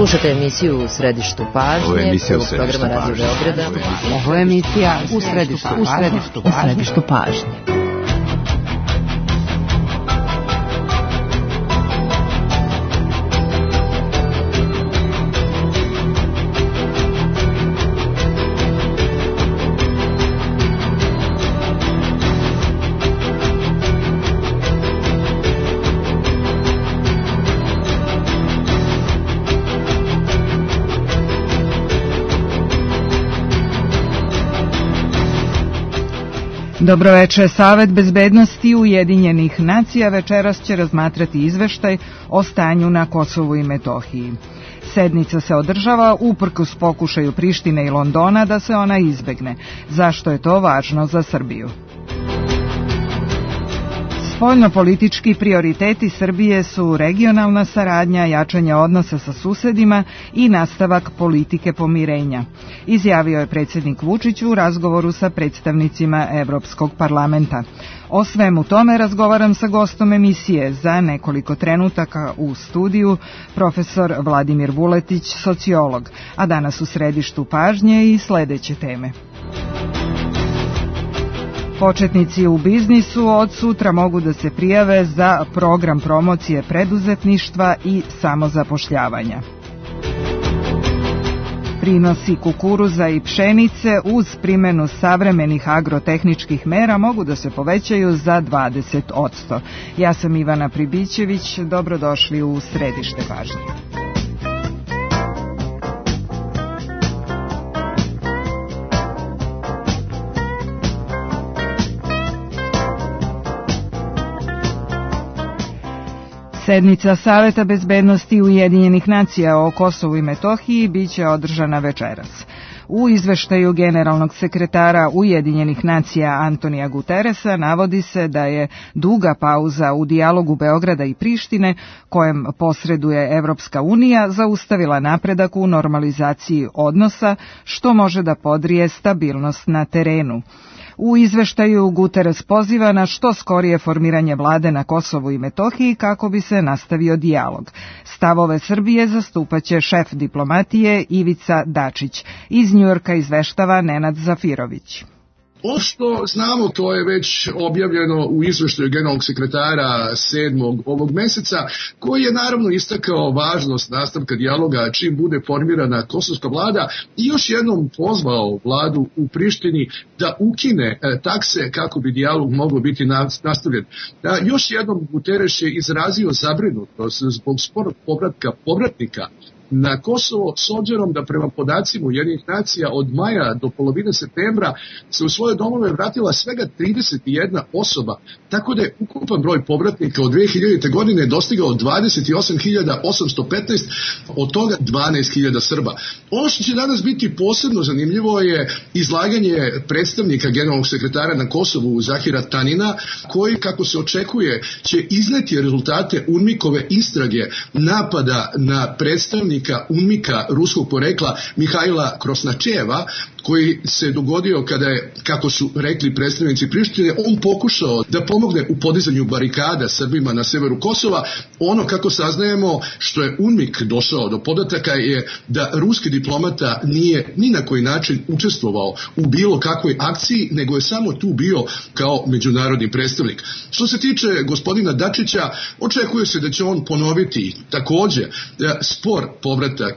Slušate emisiju U središtu pažnje, prvog programa Radio Beograda. Ovo je emisija U središtu pažnje. Dobroveče, Savet bezbednosti Ujedinjenih nacija večeras će razmatrati izveštaj o stanju na Kosovu i Metohiji. Sednica se održava uprkos pokušaju Prištine i Londona da se ona izbegne. Zašto je to važno za Srbiju? Spoljnopolitički prioriteti Srbije su regionalna saradnja, jačanje odnosa sa susedima i nastavak politike pomirenja, izjavio je predsjednik Vučić u razgovoru sa predstavnicima Evropskog parlamenta. O svemu tome razgovaram sa gostom emisije za nekoliko trenutaka u studiju, profesor Vladimir Vuletić, sociolog, a danas u središtu pažnje i sledeće teme. Početnici u biznisu od sutra mogu da se prijave za program promocije preduzetništva i samozapošljavanja. Prinosi kukuruza i pšenice uz primjenu savremenih agrotehničkih mera mogu da se povećaju za 20%. Ja sam Ivana Pribićević, dobrodošli u središte pažnje. Sednica Saveta bezbednosti Ujedinjenih nacija o Kosovu i Metohiji biće održana večeras. U izveštaju generalnog sekretara Ujedinjenih nacija Antonija Guteresa navodi se da je duga pauza u dijalogu Beograda i Prištine, kojem posreduje Evropska unija, zaustavila napredak u normalizaciji odnosa, što može da podrije stabilnost na terenu. U izveštaju Guteres poziva na što skorije formiranje vlade na Kosovu i Metohiji kako bi se nastavio dijalog. Stavove Srbije zastupaće šef diplomatije Ivica Dačić. Iz Njujorka izveštava Nenad Zafirović. Ono što znamo, to je već objavljeno u izveštaju generalnog sekretara 7. ovog meseca, koji je naravno istakao važnost nastavka dijaloga čim bude formirana kosovska vlada i još jednom pozvao vladu u Prištini da ukine takse kako bi dijalog mogao biti nastavljen. Još jednom Guterres je izrazio zabrinutost zbog sporog povratka povratnika na Kosovo, s obzirom da prema podacima Ujedinjenih nacija od maja do polovine septembra se u svoje domove vratila svega 31 osoba, tako da je ukupan broj povratnika od 2000. godine dostigao 28.815, od toga 12.000 Srba. Ono što će danas biti posebno zanimljivo je izlaganje predstavnika generalnog sekretara na Kosovu Zahira Tanina, koji, kako se očekuje, će izneti rezultate UNMIK-ove istrage napada na predstavnika UNMIK-a ruskog porekla Mihajla Krosnačeva, koji se dogodio kada je, kako su rekli predstavnici Prištine, on pokušao da pomogne u podizanju barikada Srbima na severu Kosova. Ono, kako saznajemo, što je UNMIK došao do podataka je da ruski diplomata nije ni na koji način učestvovao u bilo kakvoj akciji, nego je samo tu bio kao međunarodni predstavnik. Što se tiče gospodina Dačića, očekuje se da će on ponoviti takođe spor povratak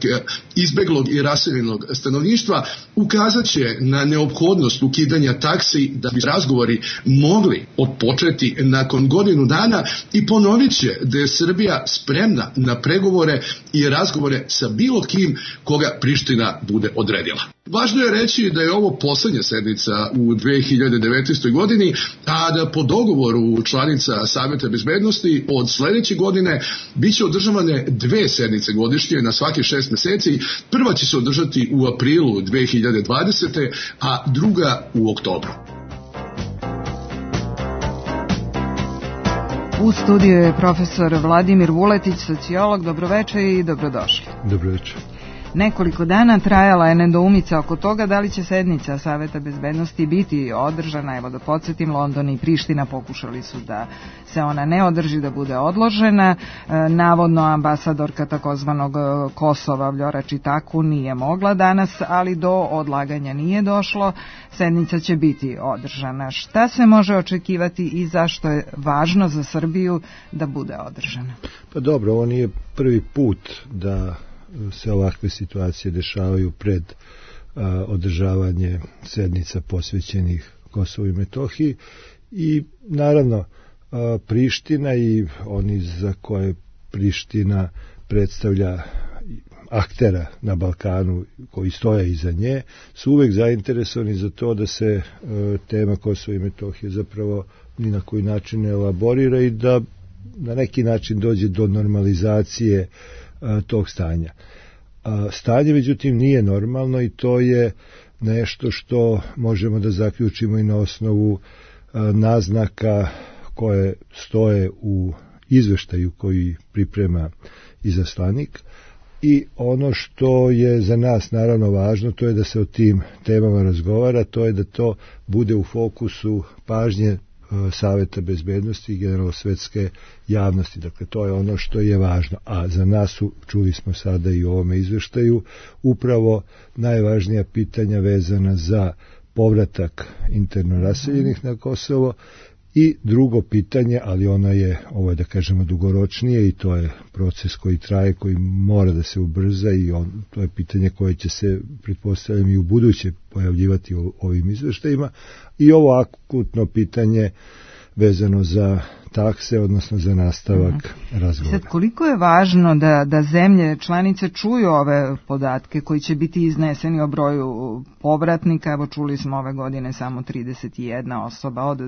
izbeglog i raseljenog stanovništva, ukazat će na neophodnost ukidanja taksi da bi razgovori mogli odpočeti nakon godinu dana i ponovit će da je Srbija spremna na pregovore i razgovore sa bilo kim koga Priština bude odredila. Važno je reći da je ovo poslednja sednica u 2019. godini, a da po dogovoru članica Saveta bezbednosti od sledeće godine biće održavane 2 sednice godišnje na svake 6 meseci. Prva će se održati u aprilu 2020. a druga u oktobru. U studiju je profesor Vladimir Vuletić, sociolog. Dobroveče i dobrodošli. Dobroveče. nekoliko dana. Trajala je nedoumica oko toga da li će sednica Saveta bezbednosti biti održana. Evo da podsjetim, London i Priština pokušali su da se ona ne održi, da bude odložena. Navodno ambasadorka takozvanog Kosova Vljora Čitaku nije mogla danas, ali do odlaganja nije došlo. Sednica će biti održana. Šta se može očekivati i zašto je važno za Srbiju da bude održana? Pa dobro, ovo nije prvi put da se ovakve situacije dešavaju pred održavanje sednica posvećenih Kosovu i Metohiji i naravno Priština i oni za koje Priština predstavlja aktera na Balkanu koji stoje iza nje su uvek zainteresovani za to da se tema Kosova i Metohije zapravo ni na koji način ne elaborira i da na neki način dođe do normalizacije tog stanja. Stanje međutim nije normalno i to je nešto što možemo da zaključimo i na osnovu naznaka koje stoje u izveštaju koji priprema izaslanik. I ono što je za nas naravno važno, to je da se o tim temama razgovara, to je da to bude u fokusu pažnje Saveta bezbednosti i generalno svetske javnosti. Dakle, to je ono što je važno. A za nas su, čuli smo sada i u ovome izveštaju, upravo najvažnija pitanja vezana za povratak interno raseljenih na Kosovo i drugo pitanje, ali ono je, ovo je da kažemo dugoročnije i to je proces koji traje, koji mora da se ubrza i to je pitanje koje će se, pretpostavljam, i u buduće pojavljivati u ovim izveštajima i ovo akutno pitanje vezano za takse, odnosno za nastavak razgovora. Sad, koliko je važno da zemlje članice čuju ove podatke koji će biti izneseni o broju povratnika? Evo, čuli smo ove godine samo 31 osoba, od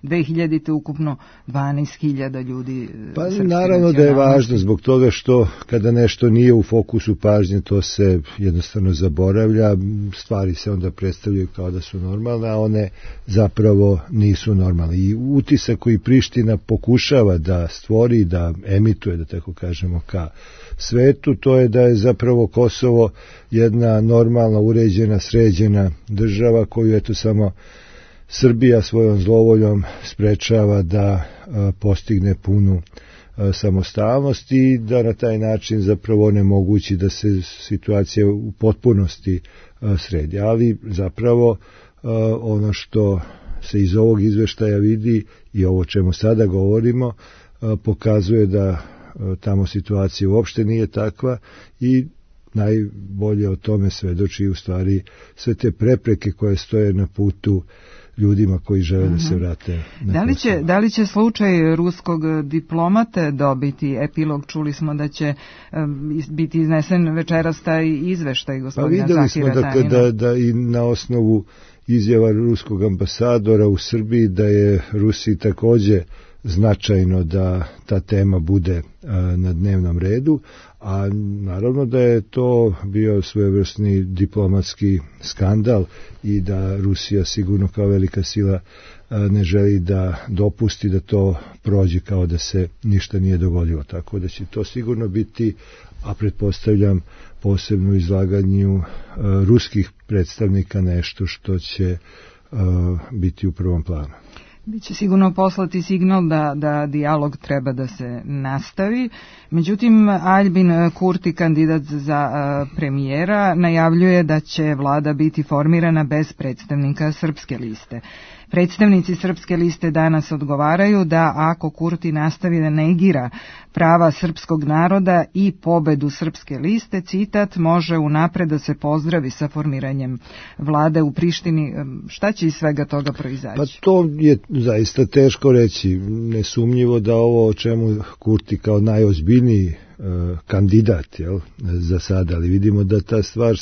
2000. ukupno 12.000 ljudi. Pa naravno da je važno zbog toga što kada nešto nije u fokusu pažnje, to se jednostavno zaboravlja, stvari se onda predstavljaju kao da su normalne, a one zapravo nisu normalne. I utisak koji Priština pokušava da stvori, da emituje, da tako kažemo, ka svetu, to je da je zapravo Kosovo jedna normalna, uređena, sređena država koju eto samo Srbija svojom zlovoljom sprečava da postigne punu samostalnost i da na taj način zapravo onemogući da se situacija u potpunosti sredi. Ali zapravo ono što se iz ovog izveštaja vidi i ovo čemu sada govorimo pokazuje da tamo situacija uopšte nije takva i najbolje o tome svedoči u stvari sve te prepreke koje stoje na putu ljudima koji žele da se vrate na Kosovo. Da li će slučaj ruskog diplomate dobiti epilog? Čuli smo da će biti iznesen večeras taj izveštaj gospodina Zahira Tanina. Pa videli smo dakle da i na osnovu izjava ruskog ambasadora u Srbiji da je Rusiji takođe značajno da ta tema bude na dnevnom redu, a naravno da je to bio svojevrsni diplomatski skandal i da Rusija sigurno kao velika sila ne želi da dopusti da to prođe kao da se ništa nije dogodilo. Tako da će to sigurno biti, a pretpostavljam posebno izlaganju ruskih predstavnika, nešto što će biti u prvom planu. Biće sigurno poslati signal da dijalog treba da se nastavi. Međutim, Aljbin Kurti, kandidat za premijera, najavljuje da će vlada biti formirana bez predstavnika Srpske liste. Predstavnici Srpske liste danas odgovaraju da ako Kurti nastavi da negira prava srpskog naroda i pobedu Srpske liste, citat, može unapred da se pozdravi sa formiranjem vlade u Prištini. Šta će iz svega toga proizaći? Pa to je zaista teško reći. Nesumnjivo da ovo o čemu Kurti kao najozbiljniji kandidat za sada, ali vidimo da ta stvar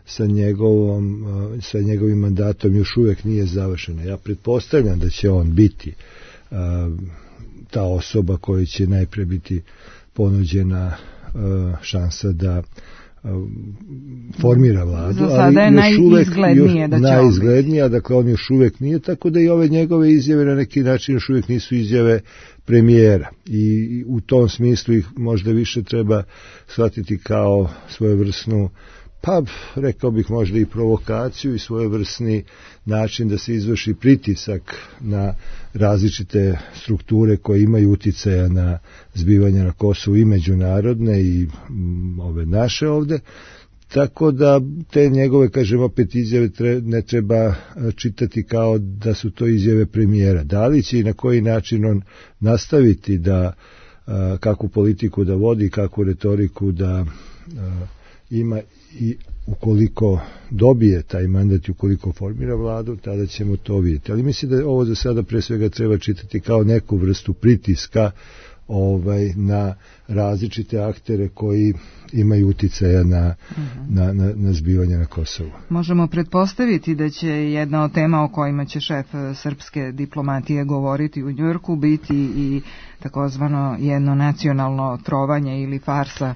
sa njegovim mandatom još uvijek nije završena. Ja pretpostavljam da će on biti ta osoba koja će najpre biti ponuđena šansa da formira vladu. Za sada je najizglednija, dakle on još uvijek nije, tako da i ove njegove izjave na neki način još uvijek nisu izjave premijera i u tom smislu ih možda više treba shvatiti kao svojevrsnu, pa rekao bih možda i provokaciju i svojevrsni način da se izvrši pritisak na različite strukture koje imaju uticaja na zbivanja na Kosovu i međunarodne i ove naše ovde. Tako da te njegove, kažem opet, izjave ne treba čitati kao da su to izjave premijera. Da li će i na koji način on nastaviti da kakvu politiku da vodi, kakvu retoriku da ima i ukoliko dobije taj mandat i ukoliko formira vladu, tada ćemo to vidjeti. Ali mislim da ovo za sada pre svega treba čitati kao neku vrstu pritiska na različite aktere koji imaju uticaja na zbivanje na Kosovu. Možemo pretpostaviti da će jedna od tema o kojima će šef srpske diplomatije govoriti u Njujorku biti i takozvano jedno nacionalno trovanje ili farsa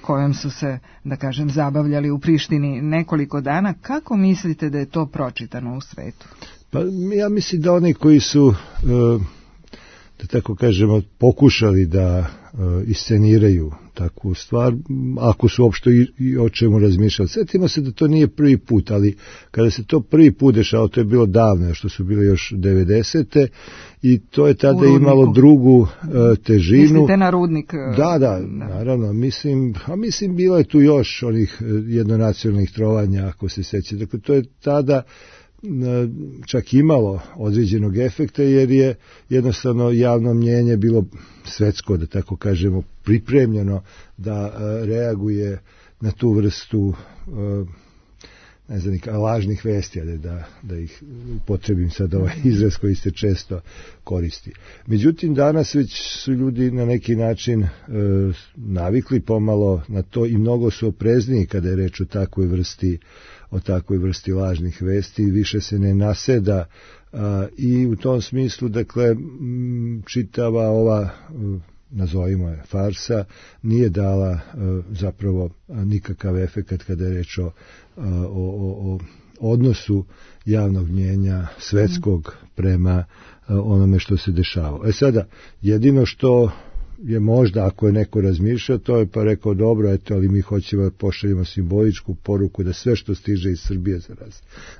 kojom su se, da kažem, zabavljali u Prištini nekoliko dana. Kako mislite da je to pročitano u svetu? Pa ja mislim da oni koji su da tako kažemo, pokušali da isceniraju takvu stvar, ako su uopšte i o čemu razmišljali. Sjetimo se da to nije prvi put, ali kada se to prvi put dešao, to je bilo davno, što su bile još 90. i to je tada imalo drugu težinu. Mislite na Rudnik? Da, naravno. Mislim, bilo je tu još onih jednonacionalnih trovanja, ako se sjeća. Dakle, to je tada čak imalo određenog efekta, jer je jednostavno javno mnjenje bilo svetsko, da tako kažemo, pripremljeno da reaguje na tu vrstu lažnih vesti, da ih upotrebim sad ovaj izraz koji se često koristi. Međutim, danas već su ljudi na neki način navikli pomalo na to i mnogo su oprezniji kada je reč o takvoj vrsti lažnih vesti, više se ne naseda i u tom smislu, dakle, čitava ova, nazovimo je, farsa, nije dala zapravo nikakav efekat kada je reč o odnosu javnog mnjenja svetskog prema onome što se dešava. Sada, jedino što je možda, ako je neko razmišljao, to je pa rekao, dobro, eto, ali mi hoćemo pošaljemo simboličku poruku da sve što stiže iz Srbije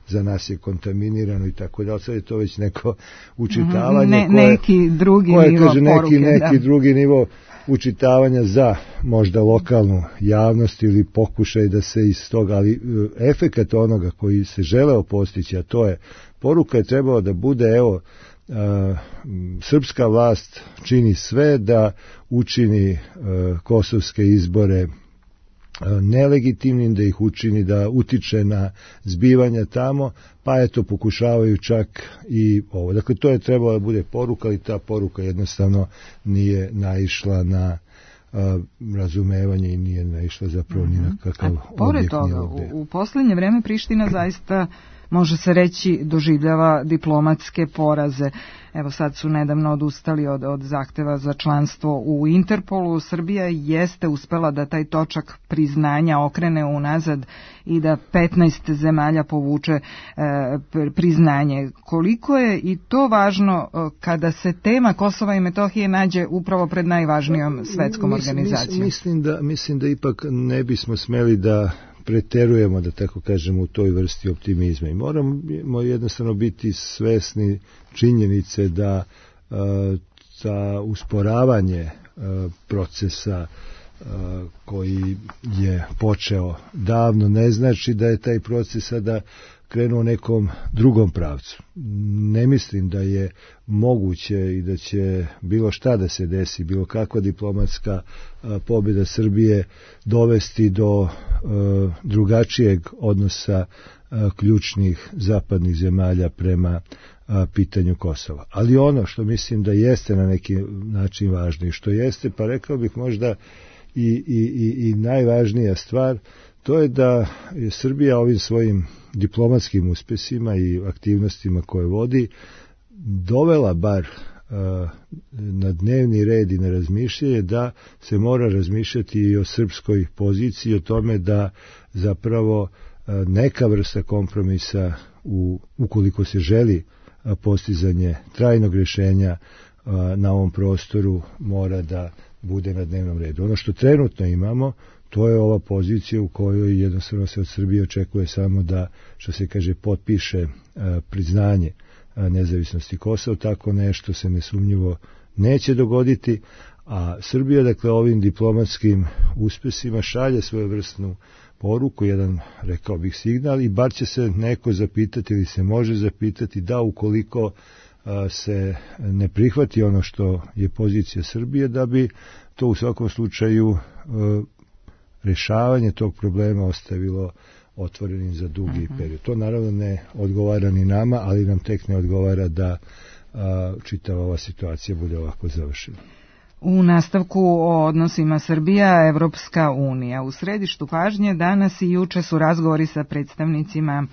za nas je kontaminirano i tako da, sad je to već neko učitavanje neki drugi nivo poruke. Neki drugi nivo učitavanja za možda lokalnu javnost ili pokušaj da se iz toga, ali efekat onoga koji se želeo postići, a to je, poruka je trebalo da bude, evo, srpska vlast čini sve da učini kosovske izbore nelegitimnim, da ih učini da utiče na zbivanja tamo, pa eto pokušavaju čak i ovo. Dakle, to je trebalo da bude poruka, ali ta poruka jednostavno nije naišla na razumevanje i nije naišla zapravo ni na kakav objekt. Pored toga, u posljednje vreme Priština zaista, može se reći, doživljava diplomatske poraze. Evo, sad su nedavno odustali od zahteva za članstvo u Interpolu. Srbija jeste uspela da taj točak priznanja okrene unazad i da 15 zemalja povuče priznanje. Koliko je i to važno kada se tema Kosova i Metohije nađe upravo pred najvažnijom svetskom organizacijom? Mislim da ipak ne bismo smeli da preterujemo, da tako kažemo, u toj vrsti optimizma i moramo jednostavno biti svesni činjenice da usporavanje procesa koji je počeo davno ne znači da je taj proces sada krenuo u nekom drugom pravcu. Ne mislim da je moguće i da će bilo šta da se desi, bilo kakva diplomatska pobjeda Srbije dovesti do drugačijeg odnosa ključnih zapadnih zemalja prema pitanju Kosova. Ali ono što mislim da jeste na neki način važno i što jeste, pa rekao bih možda i najvažnija stvar, to je da je Srbija ovim svojim diplomatskim uspesima i aktivnostima koje vodi dovela bar na dnevni red i na razmišljanje da se mora razmišljati i o srpskoj poziciji, o tome da zapravo neka vrsta kompromisa ukoliko se želi postizanje trajnog rješenja na ovom prostoru mora da bude na dnevnom redu. Ono što trenutno imamo, to je ova pozicija u kojoj jednostavno se od Srbije očekuje samo da, što se kaže, potpiše priznanje nezavisnosti Kosova. Tako nešto se nesumnjivo neće dogoditi, a Srbija, dakle, ovim diplomatskim uspesima šalje svojevrsnu poruku, jedan, rekao bih, signal, i bar će se neko zapitati ili se može zapitati da ukoliko se ne prihvati ono što je pozicija Srbije, da bi to u svakom slučaju rješavanje tog problema ostavilo otvorenim za dugi period. To naravno ne odgovara ni nama, ali nam tek ne odgovara da čitava ova situacija bude ovako završena. U nastavku o odnosima Srbija-Evropska unija. U središtu pažnje danas i juče su razgovori sa predstavnicima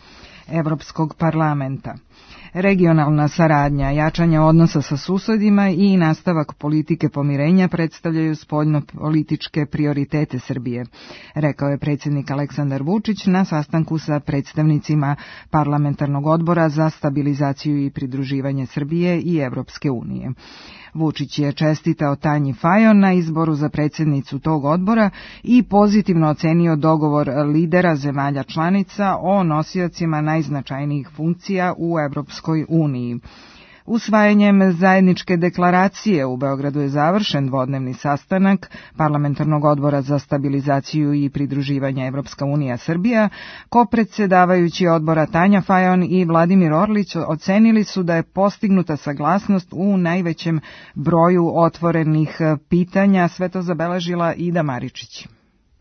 Evropskog parlamenta. Regionalna saradnja, jačanje odnosa sa susedima i nastavak politike pomirenja predstavljaju spoljno-političke prioritete Srbije, rekao je predsjednik Aleksandar Vučić na sastanku sa predstavnicima Parlamentarnog odbora za stabilizaciju i pridruživanje Srbije i Evropske unije. Vučić je čestitao Tanji Fajon na izboru za predsjednicu tog odbora i pozitivno ocenio dogovor lidera zemalja članica o nosiocima najznačajnijih funkcija u Evropskoj uniji. Usvajanjem zajedničke deklaracije u Beogradu je završen dvodnevni sastanak Parlamentarnog odbora za stabilizaciju i pridruživanje Evropska unija Srbija. Kopredsjedavajući odbora Tanja Fajon i Vladimir Orlić ocenili su da je postignuta saglasnost u najvećem broju otvorenih pitanja. Sve to zabeležila Ida Maričić.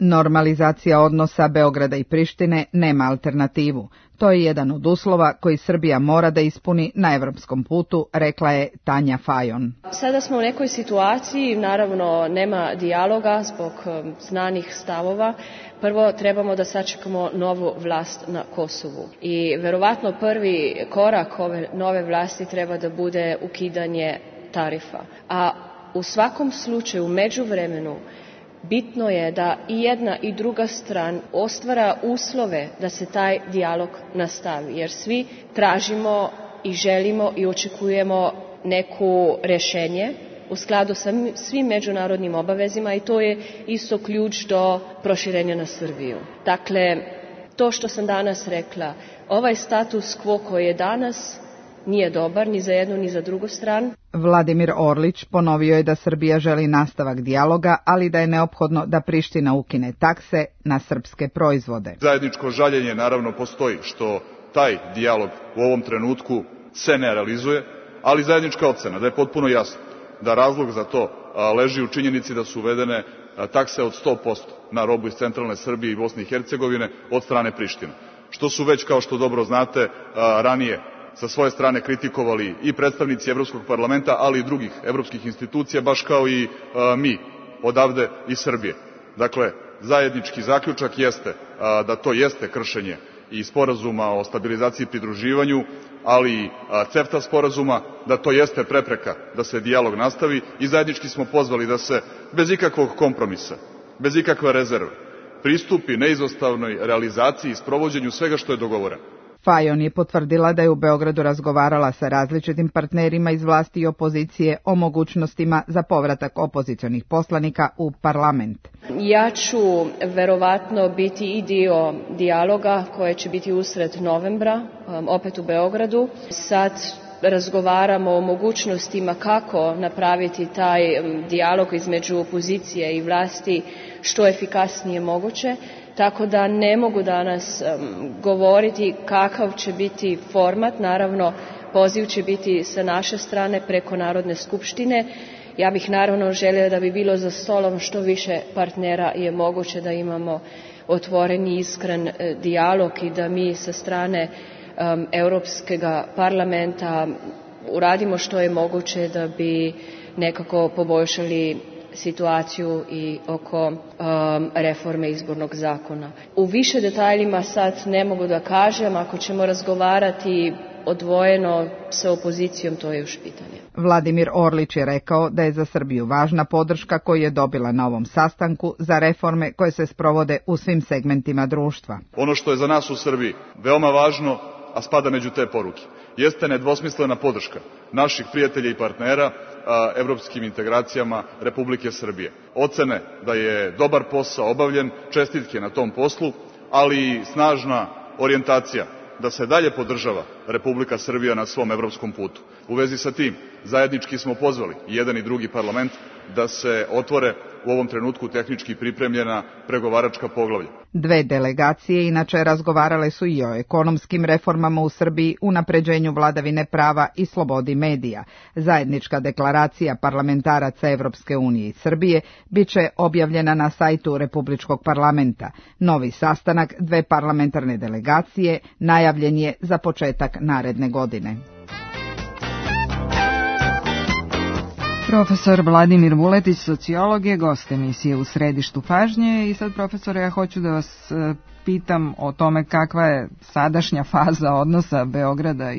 Normalizacija odnosa Beograda i Prištine nema alternativu. To je jedan od uslova koji Srbija mora da ispuni na evropskom putu, rekla je Tanja Fajon. Sada smo u nekoj situaciji, naravno nema dijaloga zbog znanih stavova. Prvo trebamo da sačekamo novu vlast na Kosovu. I verovatno prvi korak ove nove vlasti treba da bude ukidanje tarifa. A u svakom slučaju, u međuvremenu, bitno je da i jedna i druga strana ostvara uslove da se taj dijalog nastavi, jer svi tražimo i želimo i očekujemo neku rješenje u skladu sa svim međunarodnim obavezima i to je isto ključ do proširenja na Srbiju. Dakle, to što sam danas rekla, ovaj status quo koji je danas nije dobar ni za jednu ni za drugu stranu. Vladimir Orlić ponovio je da Srbija želi nastavak dijaloga, ali da je neophodno da Priština ukine takse na srpske proizvode. Zajedničko žaljenje naravno postoji što taj dijalog u ovom trenutku se ne realizuje, ali zajednička ocena da je potpuno jasno da razlog za to leži u činjenici da su uvedene takse od 100% na robu iz centralne Srbije i Bosne i Hercegovine od strane Prištine. Što su već, kao što dobro znate, ranije sa svoje strane kritikovali i predstavnici Evropskog parlamenta, ali i drugih evropskih institucija, baš kao i mi odavde iz Srbije. Dakle, zajednički zaključak jeste da to jeste kršenje i sporazuma o stabilizaciji i pridruživanju, ali i CEFTA sporazuma, da to jeste prepreka da se dijalog nastavi i zajednički smo pozvali da se bez ikakvog kompromisa, bez ikakve rezerve, pristupi neizostavnoj realizaciji i sprovođenju svega što je dogovoreno. Fajon je potvrdila da je u Beogradu razgovarala sa različitim partnerima iz vlasti i opozicije o mogućnostima za povratak opozicionih poslanika u parlament. Ja ću verovatno biti i dio dijaloga koje će biti usred novembra, opet u Beogradu. Sad razgovaramo o mogućnostima kako napraviti taj dijalog između opozicije i vlasti što efikasnije moguće. Tako da ne mogu danas govoriti kakav će biti format. Naravno, poziv će biti sa naše strane preko Narodne skupštine. Ja bih naravno željela da bi bilo za stolom što više partnera je moguće da imamo otvoreni i iskren dijalog i da mi sa strane Europskog parlamenta uradimo što je moguće da bi nekako poboljšali situaciju i oko reforme izbornog zakona. U više detaljima sad ne mogu da kažem, ako ćemo razgovarati odvojeno sa opozicijom, to je još pitanje. Vladimir Orlić je rekao da je za Srbiju važna podrška koju je dobila na ovom sastanku za reforme koje se sprovode u svim segmentima društva. Ono što je za nas u Srbiji veoma važno, a spada među te poruke, jeste nedvosmislena podrška naših prijatelja i partnera evropskim integracijama Republike Srbije. Ocene da je dobar posao obavljen, čestitke na tom poslu, ali i snažna orijentacija da se dalje podržava Republika Srbija na svom evropskom putu. U vezi sa tim, zajednički smo pozvali jedan i drugi parlament da se otvore u ovom trenutku tehnički pripremljena pregovaračka poglavlja. Dve delegacije inače razgovarale su i o ekonomskim reformama u Srbiji, unapređenju vladavine prava i slobodi medija. Zajednička deklaracija parlamentaraca Evropske unije i Srbije biće objavljena na sajtu Republičkog parlamenta. Novi sastanak dve parlamentarne delegacije najavljen je za početak naredne godine. Profesor Vladimir Vuletić, sociolog, je gost emisije U središtu pažnje i sad, profesore, ja hoću da vas pitam o tome kakva je sadašnja faza odnosa Beograda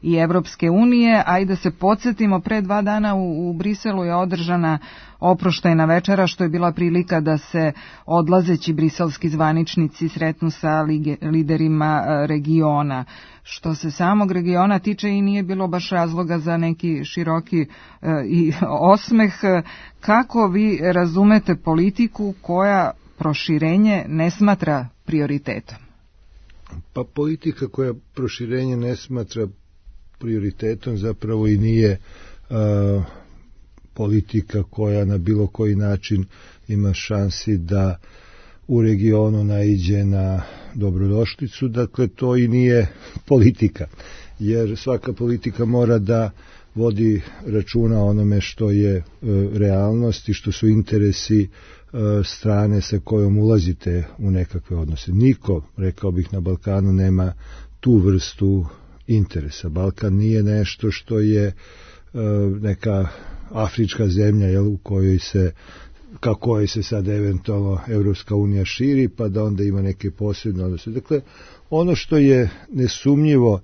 i Evropske unije, a i da se podsjetimo, pre 2 dana u Briselu je održana oproštajna večera, što je bila prilika da se odlazeći briselski zvaničnici sretnu sa liderima regiona. Što se samog regiona tiče, i nije bilo baš razloga za neki široki i osmeh. Kako vi razumete politiku koja proširenje ne smatra prioritetom? Pa politika koja proširenje ne smatra prioritetom zapravo i nije politika koja na bilo koji način ima šansi da u regionu naiđe na dobrodošlicu. Dakle, to i nije politika, jer svaka politika mora da vodi računa o onome što je realnost i što su interesi strane sa kojom ulazite u nekakve odnose. Niko, rekao bih, na Balkanu nema tu vrstu interesa. Balkan nije nešto što je neka afrička zemlja, u kojoj se kako se sad eventualno Evropska unija širi, pa da onda ima neke posebne odnose. Dakle, ono što je nesumnjivo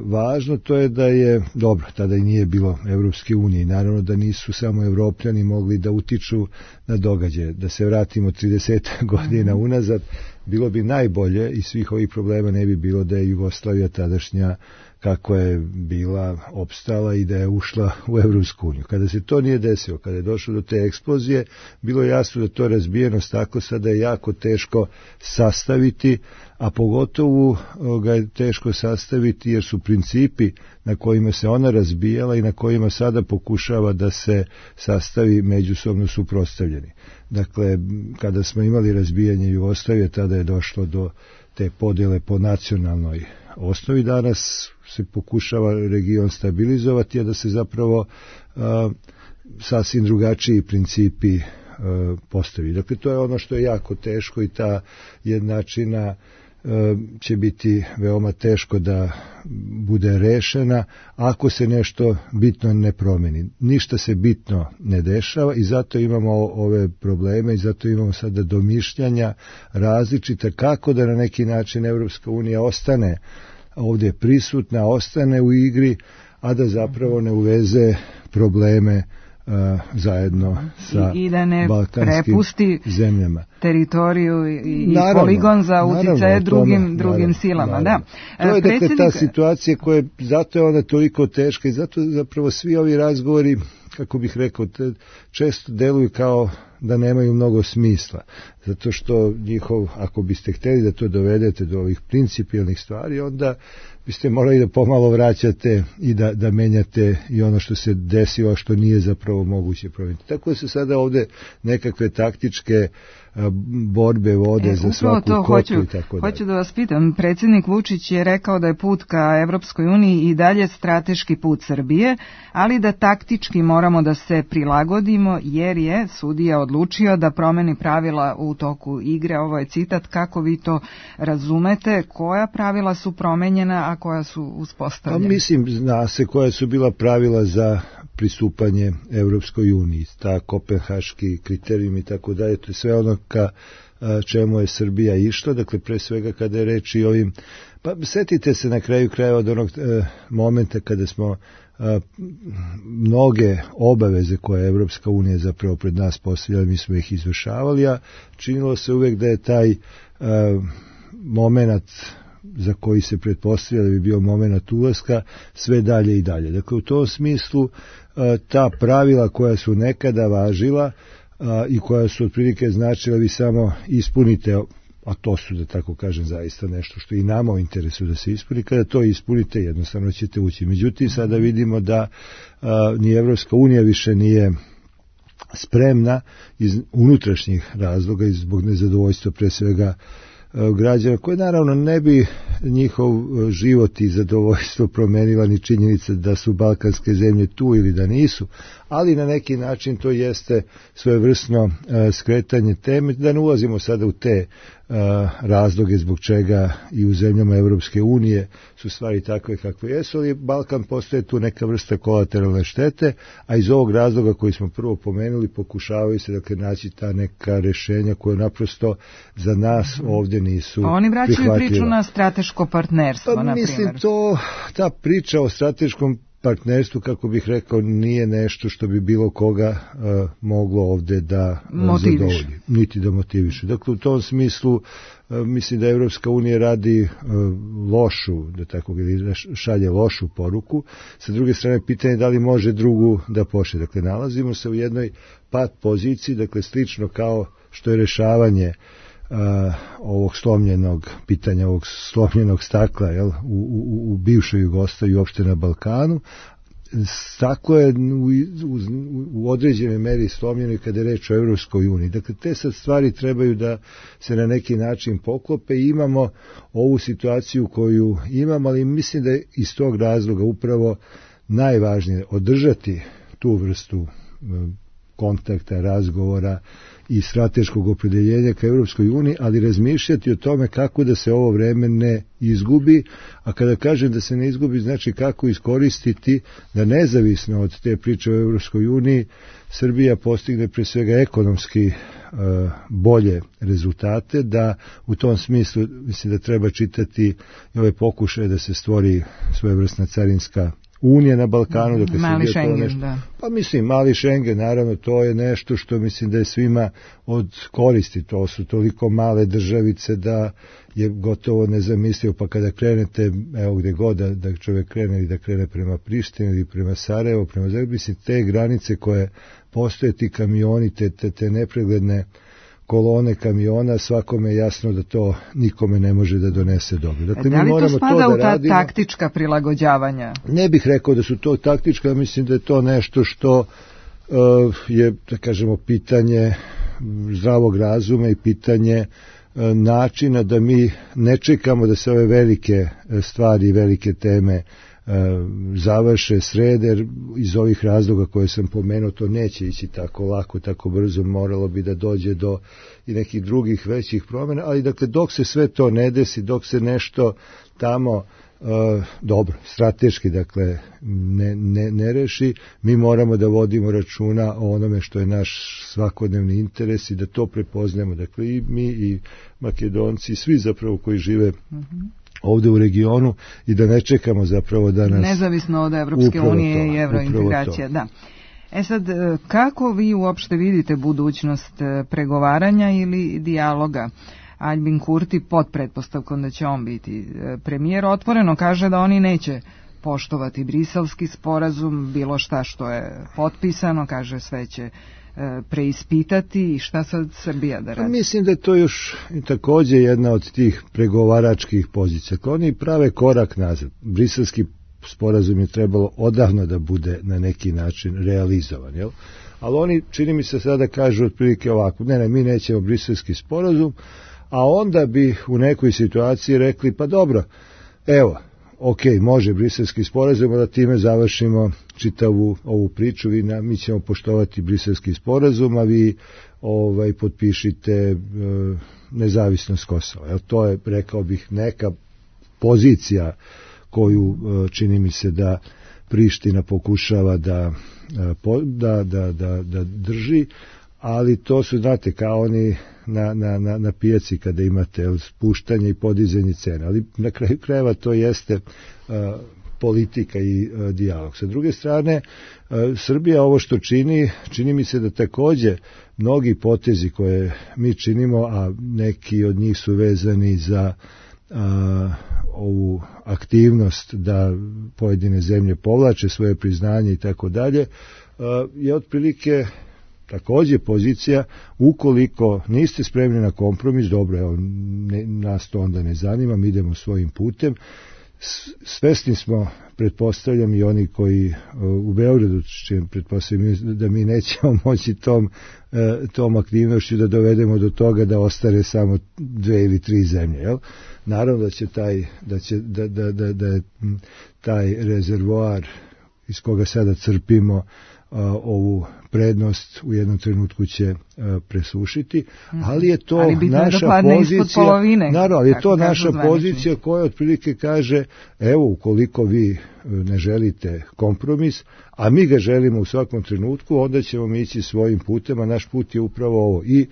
važno, to je da je, dobro, tada i nije bilo Evropske unije, naravno da nisu samo Evropljani mogli da utiču na događaje. Da se vratimo 30 godina unazad, bilo bi najbolje i svih ovih problema ne bi bilo da je Jugoslavija tadašnja kako je bila opstala i da je ušla u Evropsku uniju. Kada se to nije desilo, kada je došlo do te eksplozije, bilo je jasno da to razbijenost tako sada je jako teško sastaviti, a pogotovo ga je teško sastaviti jer su principi na kojima se ona razbijala i na kojima sada pokušava da se sastavi međusobno suprotstavljeni. Dakle, kada smo imali razbijanje Jugoslavije, tada je došlo do te podjele po nacionalnoj osnovi. Danas se pokušava region stabilizovati, a da se zapravo sasvim drugačiji principi postavi. Dakle, to je ono što je jako teško i ta jednačina će biti veoma teško da bude rešena ako se nešto bitno ne promeni. Ništa se bitno ne dešava i zato imamo ove probleme i zato imamo sada domišljanja različita kako da na neki način Evropska unija ostane ovdje prisutna, ostane u igri, a da zapravo ne uveze probleme zajedno sa i da ne balkanskim prepusti zemljama teritoriju i poligon za uticaje drugim silama. Da. To je dakle ta situacija koja zato je ona toliko teška i zato zapravo svi ovi razgovori, kako bih rekao, često deluju kao da nemaju mnogo smisla. Zato što ako biste htjeli da to dovedete do ovih principijelnih stvari, onda biste morali da pomalo vraćate i da menjate i ono što se desilo, što nije zapravo moguće promijeniti. Tako da se sada ovdje nekakve taktičke borbe vode za svaku kotu i tako dalje. Hoću da vas pitam, predsjednik Vučić je rekao da je put ka Evropskoj uniji i dalje strateški put Srbije, ali da taktički moramo da se prilagodimo jer je sudija odlučio da promeni pravila u toku igre. Ovo je citat, kako vi to razumete, koja pravila su promenjena, a koja su uspostavljena? Mislim, zna se koja su bila pravila za pristupanje Evropskoj uniji, ta kopenhaški kriterijum i tako dalje, to je sve ono ka čemu je Srbija išla, dakle pre svega kada je reč i ovim, pa setite se na kraju kraja od onog momenta kada smo mnoge obaveze koje je Evropska unija zapravo pred nas postavljala, mi smo ih izvršavali, a činilo se uvek da je taj moment za koji se pretpostavlja da bi bio moment ulaska sve dalje i dalje. Dakle, u tom smislu ta pravila koja su nekada važila i koja su otprilike značila vi samo ispunite, a to su, da tako kažem, zaista nešto što i nama u interesu da se ispuni, kada to ispunite jednostavno ćete ući. Međutim, sada vidimo da ni Evropska unija više nije spremna iz unutrašnjih razloga i zbog nezadovoljstva pre svega građana, koje naravno ne bi njihov život i zadovoljstvo promenila ni činjenica da su balkanske zemlje tu ili da nisu, ali na neki način to jeste svojevrsno skretanje teme, da ne ulazimo sada u te razloge zbog čega i u zemljama Evropske unije su stvari takve kakve jesu, ali Balkan postoje tu neka vrsta kolateralne štete, a iz ovog razloga koji smo prvo pomenuli pokušavaju se dakle naći ta neka rešenja koje naprosto za nas ovdje nisu prihvatljiva. Oni vraćaju priču na strateško partnerstvo, na primjer. Mislim, ta priča o strateškom partnerstvu, kako bih rekao, nije nešto što bi bilo koga moglo ovde da zadovolji, niti da motiviše. Dakle, u tom smislu mislim da Evropska unija radi lošu, da tako šalje lošu poruku. Sa druge strane, pitanje je da li može drugu da pošle. Dakle, nalazimo se u jednoj pat poziciji, dakle, slično kao što je rešavanje ovog slomljenog pitanja, ovog slomljenog stakla u bivšoj Jugoslaviji i uopšte na Balkanu. Staklo je u određenoj meri slomljeno kada je reč o Evropskoj uniji. Dakle, te sad stvari trebaju da se na neki način poklope i imamo ovu situaciju koju imamo, ali mislim da je iz tog razloga upravo najvažnije održati tu vrstu kontakta, razgovora i strateškog opredeljenja ka Evropskoj uniji, ali razmišljati o tome kako da se ovo vreme ne izgubi, a kada kažem da se ne izgubi, znači kako iskoristiti da nezavisno od te priče o Evropskoj uniji Srbija postigne pre svega ekonomski bolje rezultate, da u tom smislu mislim da treba čitati ove pokušaje da se stvori svojevrsna carinska unija na Balkanu, dakle mali Schengen, nešto, da. Pa mislim, mali Schengen, naravno, to je nešto što mislim da je svima od koristi. To su toliko male državice da je gotovo nezamislivo, pa kada krenete, evo gde god da čovjek krene ili da krene prema Prištini ili prema Sarajevo, prema Zagrebu, mislim, te granice koje postoje, ti kamioni, te nepregledne kolone kamiona, svakome je jasno da to nikome ne može da donese dobro. Dakle, da li mi to spada to u ta taktička prilagođavanja? Ne bih rekao da su to taktička, mislim da je to nešto što je, da kažemo, pitanje zdravog razuma i pitanje načina da mi ne čekamo da se ove velike stvari i velike teme završe, srede, jer iz ovih razloga koje sam pomenuo to neće ići tako lako, tako brzo, moralo bi da dođe do i nekih drugih većih promjena, ali dakle dok se sve to ne desi, dok se nešto tamo dobro, strateški dakle ne reši, mi moramo da vodimo računa o onome što je naš svakodnevni interes i da to prepoznamo, dakle i mi i Makedonci, svi zapravo koji žive ovdje u regionu i da ne čekamo zapravo da nas... Nezavisno od Evropske unije i evrointegracija, da. Sad, kako vi uopšte vidite budućnost pregovaranja ili dijaloga? Albin Kurti, pod pretpostavkom da će on biti premijer, otvoreno kaže da oni neće poštovati briselski sporazum, bilo šta što je potpisano, kaže sve će preispitati i šta sad Srbija da radi? Mislim da je to još također jedna od tih pregovaračkih pozicija. Oni prave korak nazad. Briselski sporazum je trebalo odavno da bude na neki način realizovan, jel? Ali oni, čini mi se sada kažu otprilike ovako, ne, mi nećemo briselski sporazum, a onda bi u nekoj situaciji rekli, pa dobro, evo, ok, može briselski sporazum, da time završimo čitavu ovu priču, mi ćemo poštovati briselski sporazum, a vi potpišite nezavisnost Kosova. Jel, to je, rekao bih, neka pozicija koju čini mi se da Priština pokušava da drži, ali to su, znate, kao oni na pijaci kada imate spuštanje i podizanje cena, ali na kraju krajeva to jeste politika i dijalog. Sa druge strane, Srbija ovo što čini mi se da takođe mnogi potezi koje mi činimo, a neki od njih su vezani za ovu aktivnost da pojedine zemlje povlače svoje priznanje i tako dalje, je otprilike takođe pozicija, ukoliko niste spremni na kompromis, dobro, evo, nas to onda ne zanima, mi idemo svojim putem. Svesni smo, pretpostavljam, i oni koji u Beogradu, pretpostavljam da mi nećemo moći tom aktivnošću da dovedemo do toga da ostane samo 2 ili 3 zemlje, jel? Naravno da je taj rezervoar iz koga sada crpimo ovu prednost u jednom trenutku će presušiti, ali je to naša pozicija, naravno, ali je to naša pozicija koja otprilike kaže, evo, ukoliko vi ne želite kompromis, a mi ga želimo u svakom trenutku, onda ćemo mi ići svojim putem, a naš put je upravo ovo. I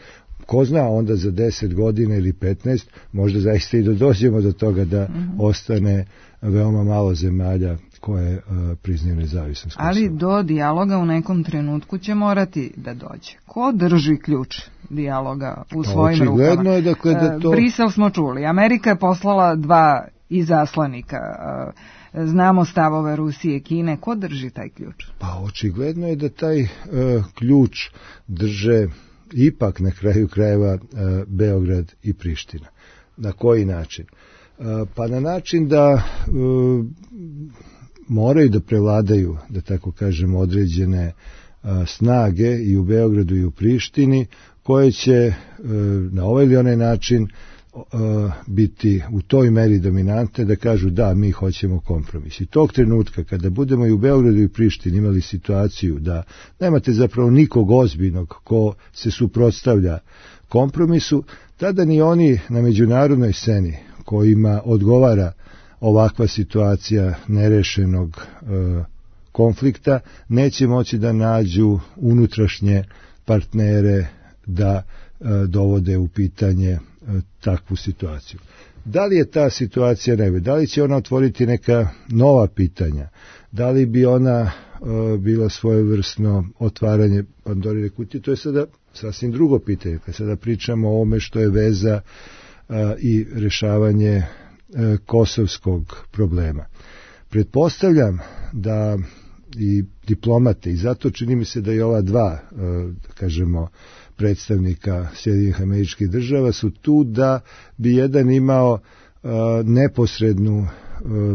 ko zna, onda za 10 godina ili 15, možda zaista i dođemo do toga da ostane veoma malo zemalja koje priznaju nezavisnost. Ali do dijaloga u nekom trenutku će morati da dođe. Ko drži ključ dijaloga u svojim rukama? Očigledno je, dakle, da to... Brisel smo čuli. Amerika je poslala 2 izaslanika. Znamo stavove Rusije i Kine. Ko drži taj ključ? Pa očigledno je da taj ključ drže ipak na kraju krajeva Beograd i Priština. Na koji način? Pa na način da moraju da prevladaju, da tako kažem, određene snage i u Beogradu i u Prištini, koje će na ovaj ili onaj način biti u toj meri dominante da kažu da, mi hoćemo kompromis. I tog trenutka kada budemo i u Beogradu i u Prištini imali situaciju da nemate zapravo nikog ozbiljnog ko se suprotstavlja kompromisu, tada ni oni na međunarodnoj sceni kojima odgovara ovakva situacija nerešenog konflikta neće moći da nađu unutrašnje partnere da dovode u pitanje takvu situaciju. Da li je ta situacija nebe? Da li će ona otvoriti neka nova pitanja? Da li bi ona bila svojevrsno otvaranje Pandorine kutije? To je sada sasvim drugo pitanje. Kad sada pričamo o ovome što je veza i rešavanje kosovskog problema. Pretpostavljam da i diplomate, i zato čini mi se da i ova 2, kažemo, predstavnika Sjedinjenih Američkih Država su tu da bi jedan imao neposrednu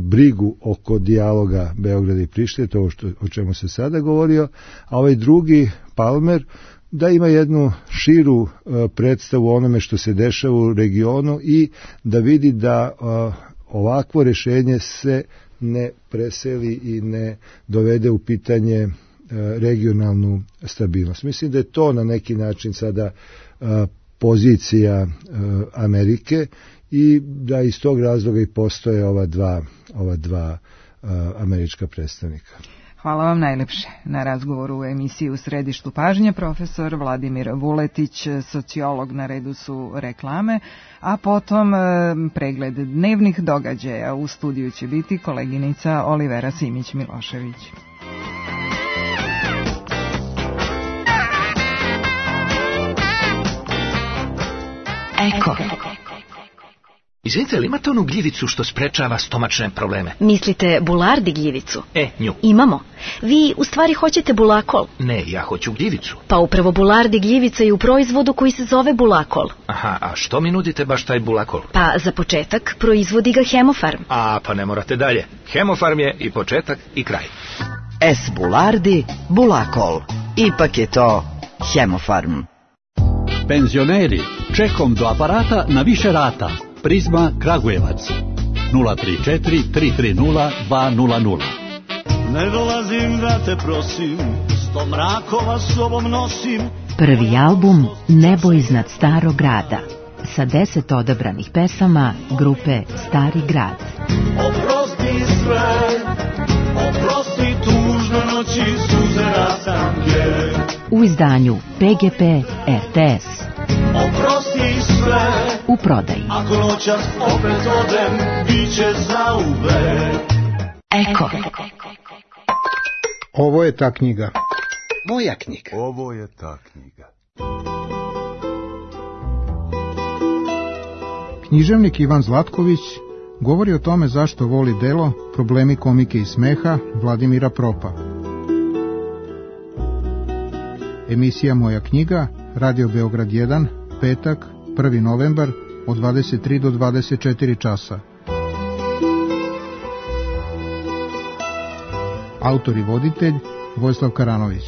brigu oko dijaloga Beograda i Prištine, to o čemu se sada govorio, a ovaj drugi, Palmer, da ima jednu širu predstavu o onome što se dešava u regionu i da vidi da ovakvo rešenje se ne preseli i ne dovede u pitanje regionalnu stabilnost. Mislim da je to na neki način sada pozicija Amerike i da iz tog razloga i postoje ova dva američka predstavnika. Hvala vam najlepše na razgovoru u emisiji U središtu pažnje. Profesor Vladimir Vuletić, sociolog, na redu su reklame, a potom pregled dnevnih događaja. U studiju će biti koleginica Olivera Simić-Milošević. Eko. Izvinite, li imate onu gljivicu što sprečava stomačne probleme? Mislite bulardi gljivicu? Nju. Imamo. Vi u stvari hoćete bulakol? Ne, ja hoću gljivicu. Pa upravo bulardi gljivica je u proizvodu koji se zove bulakol. Aha, a što mi nudite baš taj bulakol? Pa za početak proizvodi ga Hemofarm. A, pa ne morate dalje. Hemofarm je i početak i kraj. S bulardi, bulakol. Ipak je to Hemofarm. Penzioneri, čekom do aparata na više rata. Prizma Kragujevac 034 330 200. Ne dolazim da te prosim, 100 mrakova sobom nosim. Prvi album Nebo iznad starog grada sa 10 odabranih pesama grupe Stari grad. Oprosti sve, oprosti tužno noći suze rastanke. U izdanju PGP RTS. Oprosti sve, u prodaji. Ako noćas opet odem, bit će zauvek. Eko. Ovo je ta knjiga. Moja knjiga. Ovo je ta knjiga. Književnik Ivan Zlatković govori o tome zašto voli delo Problemi komike i smeha Vladimira Propa. Emisija Moja knjiga, Radio Beograd 1, petak, 1. novembar, od 23 do 24 časa. Autor i voditelj Vojislav Karanović.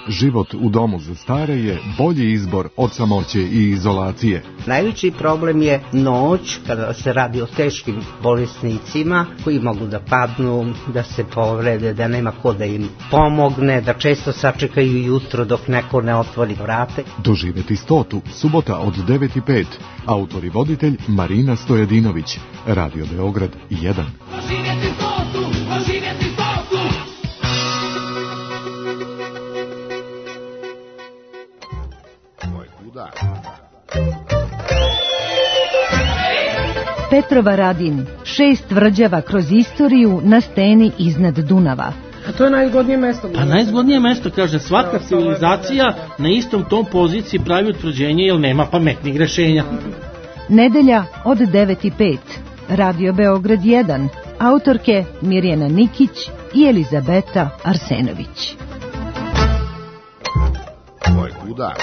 Život u domu za stare je bolji izbor od samoće i izolacije. Najveći problem je noć, kada se radi o teškim bolesnicima koji mogu da padnu, da se povrede, da nema ko da im pomogne, da često sačekaju jutro dok neko ne otvori vrate. Doživeti 100. subota od 9:05. Autor i voditelj Marina Stojadinović. Radio Beograd 1. Doživeti 100, doživeti 100. Petrova Radin, 6 tvrđava kroz istoriju na steni iznad Dunava. A to je najzgodnije mesto. Pa najzgodnije mesto, kaže, svaka civilizacija na istom tom poziciji pravi utvrđenje jer nema pametnih rešenja. Nedelja od 9:05. Radio Beograd 1. Autorke Mirjana Nikić i Elizabeta Arsenović. Ovo je kuda.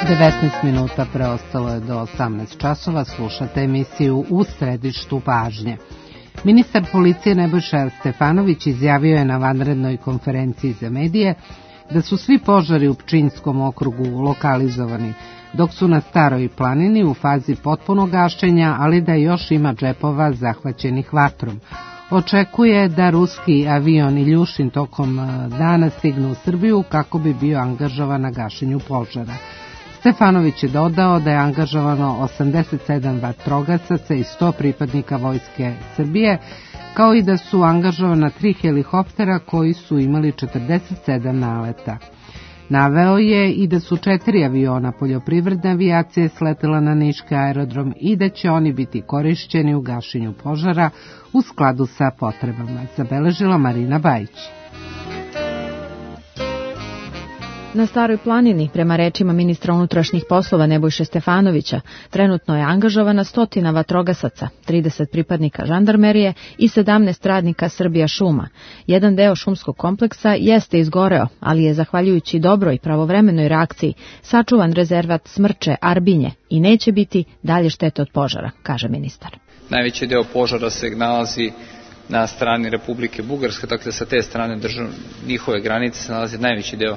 19 minuta preostalo je do 18 časova, slušate emisiju U središtu pažnje. Ministar policije Nebojša Stefanović izjavio je na vanrednoj konferenciji za medije da su svi požari u Pčinjskom okrugu lokalizovani, dok su na Staroj planini u fazi potpunog gašenja, ali da još ima džepova zahvaćenih vatrom. Očekuje da ruski avion Iljušin tokom dana stignu u Srbiju kako bi bio angažovan na gašenju požara. Stefanović je dodao da je angažovano 87 vatrogasaca i 100 pripadnika Vojske Srbije, kao i da su angažovana 3 helikoptera koji su imali 47 naleta. Naveo je i da su 4 aviona poljoprivredne avijacije sletela na niški aerodrom i da će oni biti korišćeni u gašenju požara u skladu sa potrebama, zabeležila Marina Bajić. Na Staroj planini, prema rečima ministra unutrašnjih poslova Nebojše Stefanovića, trenutno je angažovana 100 vatrogasaca, 30 pripadnika žandarmerije i 17 radnika Srbija šuma. Jedan deo šumskog kompleksa jeste izgoreo, ali je zahvaljujući dobroj pravovremenoj reakciji sačuvan rezervat Smrče Arbinje i neće biti dalje štete od požara, kaže ministar. Najveći deo požara se nalazi na strani Republike Bugarske, dakle sa te strane njihove granice se nalazi najveći deo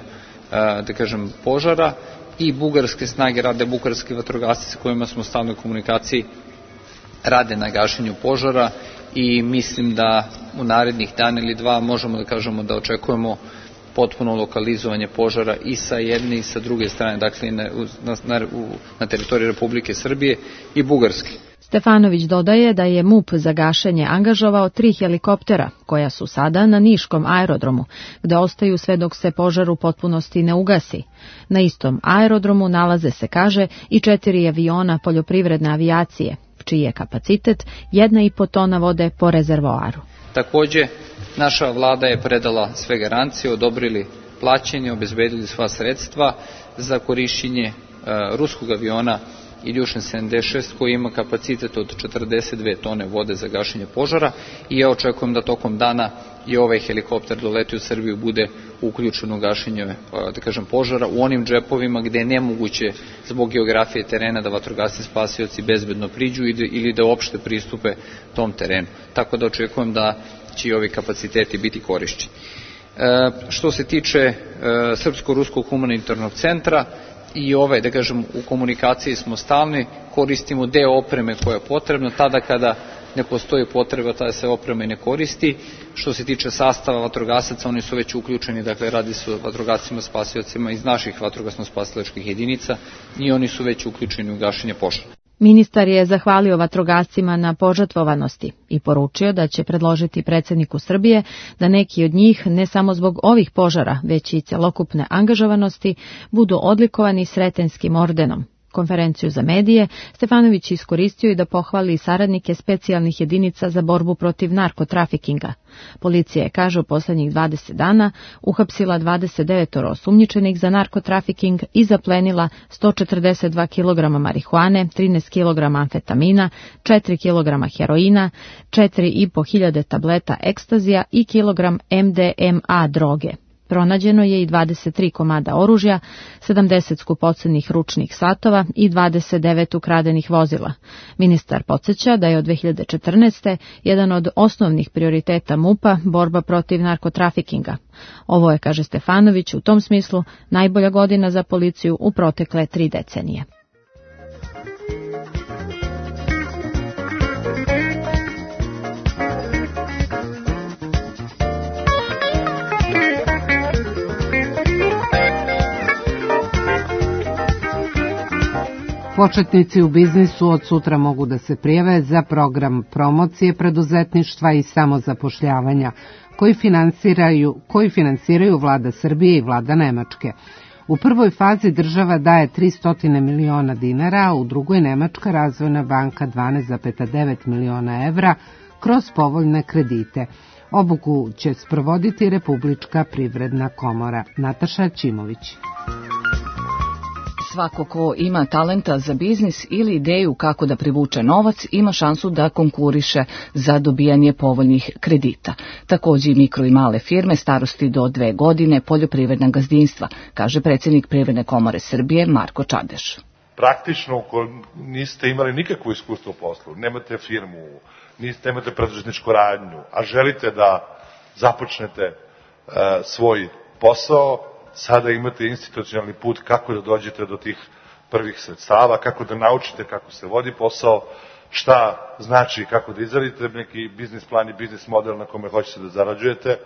požara i bugarske snage rade, bugarski vatrogasci sa kojima smo u stalnoj komunikaciji rade na gašenju požara i mislim da u narednih dan ili dva možemo da kažemo da očekujemo potpuno lokalizovanje požara i sa jedne i sa druge strane, dakle na teritoriji Republike Srbije i Bugarske. Stefanović dodaje da je MUP za gašenje angažovao 3 helikoptera, koja su sada na Niškom aerodromu, gde ostaju sve dok se požar u potpunosti ne ugasi. Na istom aerodromu nalaze se, kaže, i 4 aviona poljoprivredne avijacije, čiji je kapacitet 1,5 tona vode po rezervoaru. Takođe, naša vlada je predala sve garancije, odobrili plaćanje, obezbedili sva sredstva za korišćenje ruskog aviona Iljušin 76 koji ima kapacitet od 42 tone vode za gašenje požara i ja očekujem da tokom dana i ovaj helikopter doleti u Srbiju bude uključen u gašenje požara u onim džepovima gde je nemoguće zbog geografije terena da vatrogasci spasioci bezbedno priđu ili da uopšte pristupe tom terenu. Tako da očekujem da će i ovi kapaciteti biti korišćeni. Što se tiče Srpsko-ruskog humanitarnog centra, i u komunikaciji smo stalni, koristimo deo opreme koja je potrebna, tada kada ne postoji potreba, ta se oprema i ne koristi. Što se tiče sastava vatrogasaca, oni su već uključeni, dakle radi se o vatrogascima spasiocima iz naših vatrogasno-spasilačkih jedinica i oni su već uključeni u gašenje požara. Ministar je zahvalio vatrogascima na požrtvovanosti i poručio da će predložiti predsjedniku Srbije da neki od njih, ne samo zbog ovih požara, već i celokupne angažovanosti, budu odlikovani Sretenskim ordenom. Konferenciju za medije Stefanović iskoristio i da pohvali saradnike specijalnih jedinica za borbu protiv narkotrafikinga. Policija je, kaže, u posljednjih 20 dana uhapsila 29 osumnjičenih za narkotrafiking i zaplenila 142 kg marihuane, 13 kg amfetamina, 4 kg heroina, 4.500 tableta ekstazija i kilogram MDMA droge. Pronađeno je i 23 komada oružja, 70 skupocenih ručnih satova i 29 ukradenih vozila. Ministar podsjeća da je od 2014. jedan od osnovnih prioriteta MUP-a borba protiv narkotrafikinga. Ovo je, kaže Stefanović, u tom smislu najbolja godina za policiju u protekle 3 decenije. Početnici u biznisu od sutra mogu da se prijave za program promocije preduzetništva i samozapošljavanja koji finansiraju vlada Srbije i vlada Nemačke. U prvoj fazi država daje 300 miliona dinara, a u drugoj Nemačka razvojna banka 12,9 miliona evra kroz povoljne kredite. Obuku će sprovoditi Republička privredna komora. Nataša Ćimović. Svako ko ima talenta za biznis ili ideju kako da privuče novac ima šansu da konkuriše za dobijanje povoljnih kredita. Također i mikro i male firme starosti do 2 godine, poljoprivredna gazdinstva, kaže predsjednik Privredne komore Srbije Marko Čadeš. Praktično, ako niste imali nikakvo iskustvo u poslu, nemate firmu, nemate preduzetničku radnju, a želite da započnete svoj posao, sada imate institucionalni put kako da dođete do tih prvih sredstava, kako da naučite kako se vodi posao, šta znači kako da izradite neki biznis plan i biznis model na kome hoćete da zarađujete.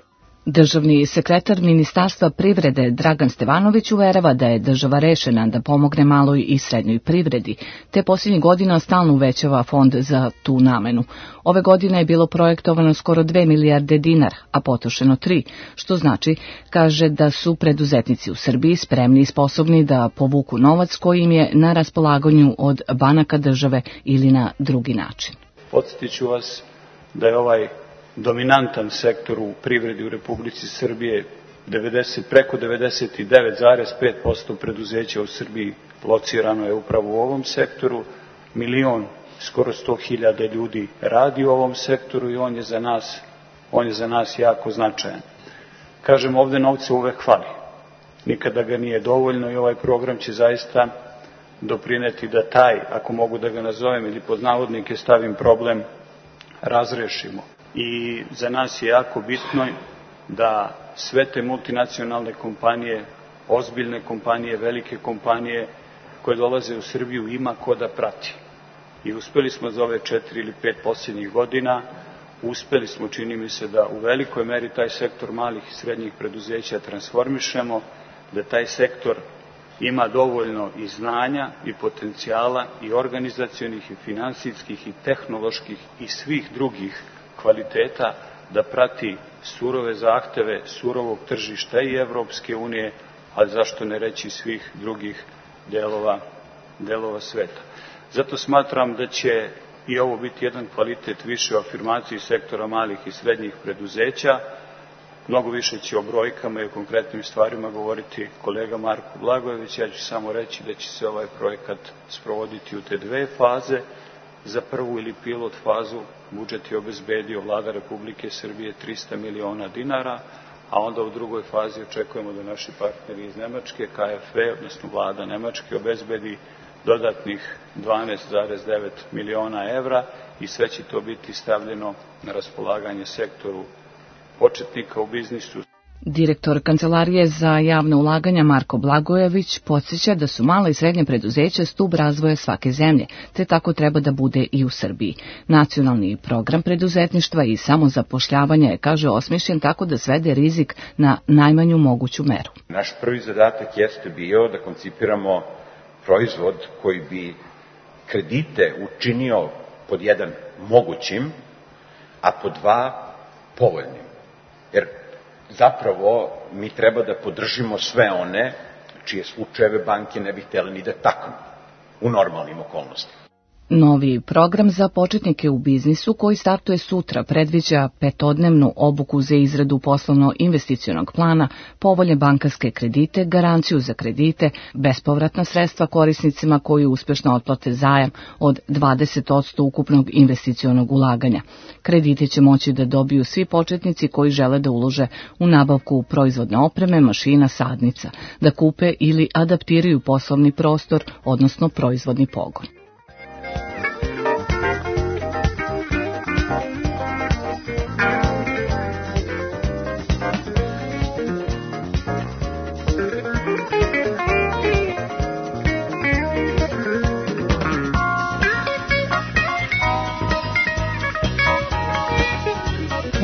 Državni sekretar Ministarstva privrede Dragan Stevanović uverava da je država rešena da pomogne maloj i srednjoj privredi, te posljednjih godina stalno uvećava fond za tu namenu. Ove godine je bilo projektovano skoro 2 milijarde dinara, a potrošeno 3, što znači, kaže, da su preduzetnici u Srbiji spremni i sposobni da povuku novac koji im je na raspolaganju od banaka države ili na drugi način. Podsjetiću vas da je ovaj dominantan sektor u privredi u Republici Srbije, preko 99,5% preduzeća u Srbiji locirano je upravo u ovom sektoru, skoro 100.000 ljudi radi u ovom sektoru i on je za nas jako značajan. Kažem, ovde novca uvek fali, nikada ga nije dovoljno i ovaj program će zaista doprineti da taj, ako mogu da ga nazovem ili pod navodnike stavim, problem razrešimo. I za nas je jako bitno da sve te multinacionalne kompanije, ozbiljne kompanije, velike kompanije koje dolaze u Srbiju ima ko da prati. I uspeli smo za ove 4 ili 5 posljednjih godina, uspeli smo, čini mi se, da u velikoj meri taj sektor malih i srednjih preduzeća transformišemo, da taj sektor ima dovoljno i znanja i potencijala i organizacionih i finansijskih i tehnoloških i svih drugih kvaliteta da prati surove zahteve surovog tržišta i Evropske unije, ali zašto ne reći svih drugih delova sveta. Zato smatram da će i ovo biti jedan kvalitet više o afirmaciji sektora malih i srednjih preduzeća. Mnogo više će o brojkama i o konkretnim stvarima govoriti kolega Marko Blagojević. Ja ću samo reći da će se ovaj projekat sprovoditi u te 2 faze. Za prvu ili pilot fazu budžet je obezbedio Vlada Republike Srbije 300 miliona dinara, a onda u drugoj fazi očekujemo da naši partneri iz Nemačke, KfW, odnosno Vlada Nemačke, obezbedi dodatnih 12,9 miliona evra i sve će to biti stavljeno na raspolaganje sektoru početnika u biznisu. Direktor Kancelarije za javne ulaganja Marko Blagojević podsjeća da su mala i srednja preduzeća stub razvoja svake zemlje, te tako treba da bude i u Srbiji. Nacionalni program preduzetništva i samozapošljavanja je, kaže, osmišljen tako da svede rizik na najmanju moguću meru. Naš prvi zadatak jeste bio da koncipiramo proizvod koji bi kredite učinio pod jedan mogućim, a pod dva povoljnim. Jer zapravo mi treba da podržimo sve one čije slučajeve banke ne bi htjeli ni da taknu u normalnim okolnostima. Novi program za početnike u biznisu koji startuje sutra predviđa 5-dnevnu obuku za izradu poslovno-investicionog plana, povoljne bankarske kredite, garanciju za kredite, bespovratna sredstva korisnicima koji uspješno otplate zajam od 20% ukupnog investicionog ulaganja. Kredite će moći da dobiju svi početnici koji žele da ulože u nabavku proizvodne opreme, mašina, sadnica, da kupe ili adaptiraju poslovni prostor, odnosno proizvodni pogon.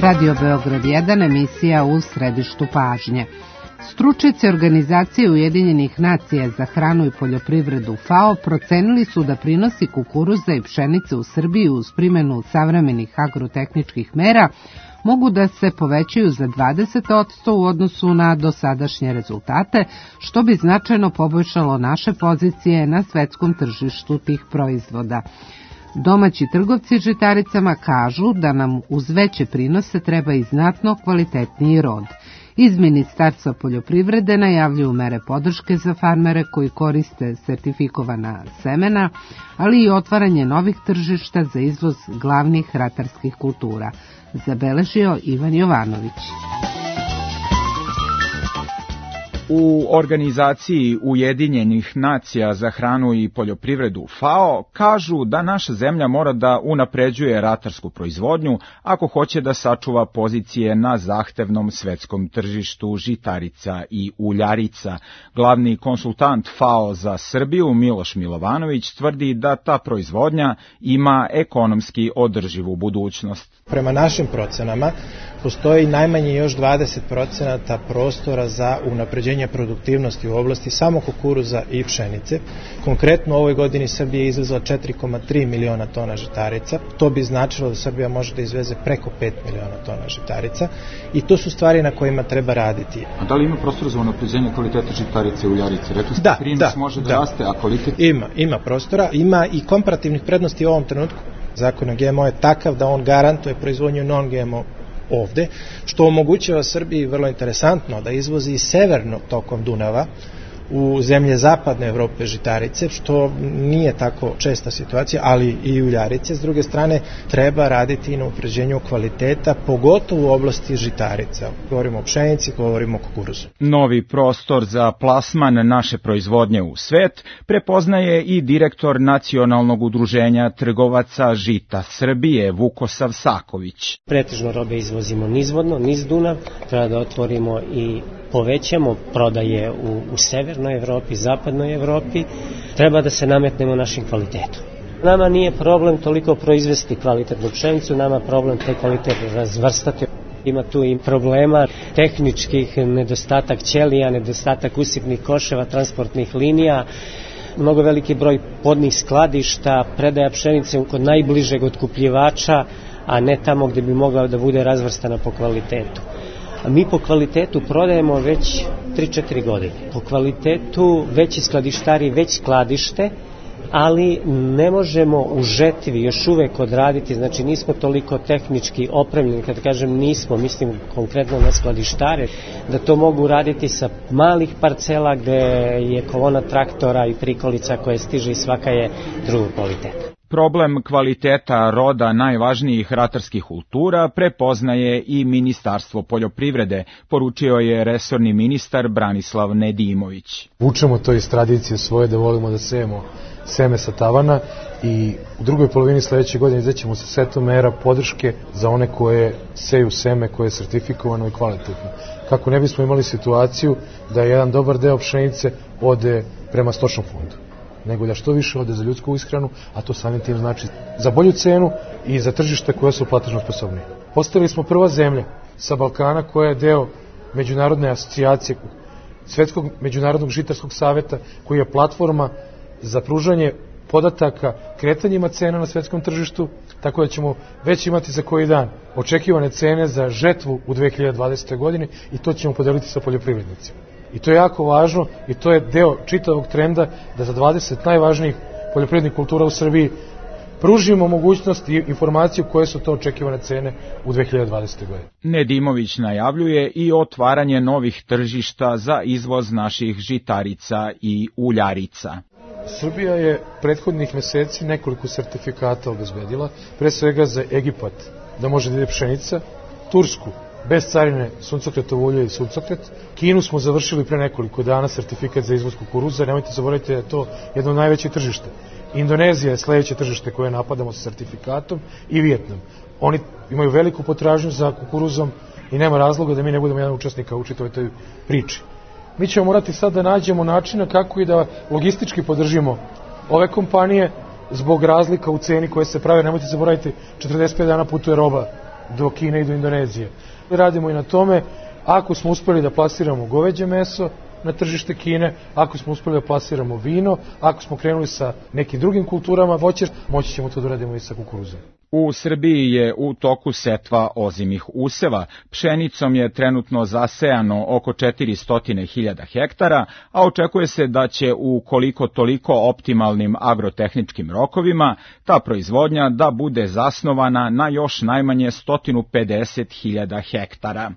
Radio Beograd 1, emisija u središtu pažnje. Stručnjaci Organizacije Ujedinjenih nacija za hranu i poljoprivredu FAO procenili su da prinosi kukuruza i pšenice u Srbiji uz primjenu savremenih agrotehničkih mera mogu da se povećaju za 20% u odnosu na dosadašnje rezultate, što bi značajno poboljšalo naše pozicije na svetskom tržištu tih proizvoda. Domaći trgovci žitaricama kažu da nam uz veće prinose treba i znatno kvalitetniji rod. Iz Ministarstva poljoprivrede najavljuju mere podrške za farmere koji koriste sertifikovana semena, ali i otvaranje novih tržišta za izvoz glavnih ratarskih kultura, zabeležio Ivan Jovanović. U Organizaciji Ujedinjenih nacija za hranu i poljoprivredu FAO kažu da naša zemlja mora da unapređuje ratarsku proizvodnju ako hoće da sačuva pozicije na zahtevnom svetskom tržištu žitarica i uljarica. Glavni konsultant FAO za Srbiju Miloš Milovanović tvrdi da ta proizvodnja ima ekonomski održivu budućnost. Prema našim procenama postoji najmanje još 20% prostora za unapređenje produktivnosti u oblasti samo kukuruza i pšenice. Konkretno u ovoj godini Srbija je izvezla 4,3 miliona tona žitarica. To bi značilo da Srbija može da izveze preko 5 miliona tona žitarica i to su stvari na kojima treba raditi. A da li ima prostora za unapređenje kvaliteta žitarice i uljarice? Rekli ste, prinos može da raste, a kvalitet? Ima prostora, ima i komparativnih prednosti u ovom trenutku. Zakon o GMO je takav da on garantuje proizvodnju non-GMO ovde, što omogućava Srbiji vrlo interesantno da izvozi severno tokom Dunava u zemlje zapadne Evrope žitarice, što nije tako česta situacija, ali i uljarice. S druge strane, treba raditi i na unapređenju kvaliteta, pogotovo u oblasti žitarica. Govorimo o pšenici, govorimo o kukuruzu. Novi prostor za plasman naše proizvodnje u svet prepoznaje i direktor Nacionalnog udruženja trgovaca žita Srbije, Vukosav Saković. Pretežno robe izvozimo nizvodno, niz Dunav, treba da otvorimo i povećamo prodaje u severnoj Evropi, zapadnoj Evropi, treba da se nametnemo našim kvalitetom. Nama nije problem toliko proizvesti kvalitetnu pšenicu, nama problem taj kvalitet razvrstati. Ima tu i problema tehničkih, nedostatak ćelija, nedostatak usipnih koševa, transportnih linija, mnogo veliki broj podnih skladišta, predaja pšenice kod najbližeg otkupljivača, a ne tamo gdje bi mogla da bude razvrstana po kvalitetu. Mi po kvalitetu prodajemo već 3-4 godine. Po kvalitetu veći skladištari već skladište, ali ne možemo u žetvi još uvek odraditi, znači nismo toliko tehnički opremljeni, kad kažem nismo, mislim konkretno na skladištare, da to mogu raditi sa malih parcela gde je kolona traktora i prikolica koje stiže i svaka je drugog kvaliteta. Problem kvaliteta roda najvažnijih ratarskih kultura prepoznaje i Ministarstvo poljoprivrede, poručio je resorni ministar Branislav Nedimović. Vučemo to iz tradicije svoje da volimo da sejemo seme sa tavana i u drugoj polovini sledeće godine izaćemo sa setom mera podrške za one koje seju seme koje je sertifikovano i kvalitetno. Kako ne bismo imali situaciju da jedan dobar deo pšenice ode prema stočnom fondu, nego da što više ode za ljudsku ishranu, a to samim tim znači za bolju cenu i za tržište koje su platežno sposobnije. Postali smo prva zemlja sa Balkana koja je deo međunarodne asocijacije Svetskog međunarodnog žitarskog saveta, koji je platforma za pružanje podataka kretanjima cena na svetskom tržištu, tako da ćemo već imati za koji dan očekivane cene za žetvu u 2020. godini i to ćemo podeliti sa poljoprivrednicima. I to je jako važno i to je deo čitavog trenda da za 20 najvažnijih poljoprivrednih kultura u Srbiji pružimo mogućnost i informaciju koje su to očekivane cene u 2020. godini. Nedimović najavljuje i otvaranje novih tržišta za izvoz naših žitarica i uljarica. Srbija je prethodnih meseci nekoliko sertifikata obezbedila, pre svega za Egipat, da može da ide pšenica, Tursku, bez carine suncokretovo ulje i suncokret. Kinu smo završili pre nekoliko dana sertifikat za izvoz kukuruza, nemojte zaboraviti da je to jedno od najvećih tržišta. Indonezija je sledeće tržište koje napadamo sa sertifikatom i Vijetnam. Oni imaju veliku potražnju za kukuruzom i nema razloga da mi ne budemo jedan učesnika u čitavoj toj priči. Mi ćemo morati sad da nađemo načina kako i da logistički podržimo ove kompanije zbog razlika u ceni koje se prave. Nemojte zaboraviti, 45 dana putuje roba do Kine i do Indonezije. Radimo i na tome, ako smo uspeli da plasiramo goveđe meso na tržište Kine, ako smo uspeli da plasiramo vino, ako smo krenuli sa nekim drugim kulturama voćar, moći ćemo to da radimo i sa kukuruzom. U Srbiji je u toku setva ozimih useva. Pšenicom je trenutno zasejano oko 400.000 hektara, a očekuje se da će u koliko toliko optimalnim agrotehničkim rokovima ta proizvodnja da bude zasnovana na još najmanje 150.000 hektara.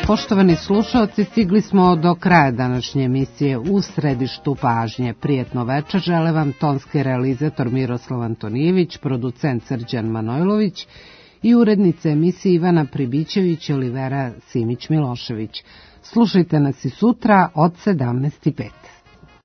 Poštovani slušaoci, stigli smo do kraja današnje emisije U središtu pažnje. Prijetno večer žele vam tonski realizator Miroslav Antonijević, producent Srđan Manojlović i urednice emisije Ivana Pribićević i Olivera Simić-Milošević. Slušajte nas i sutra od 17:05.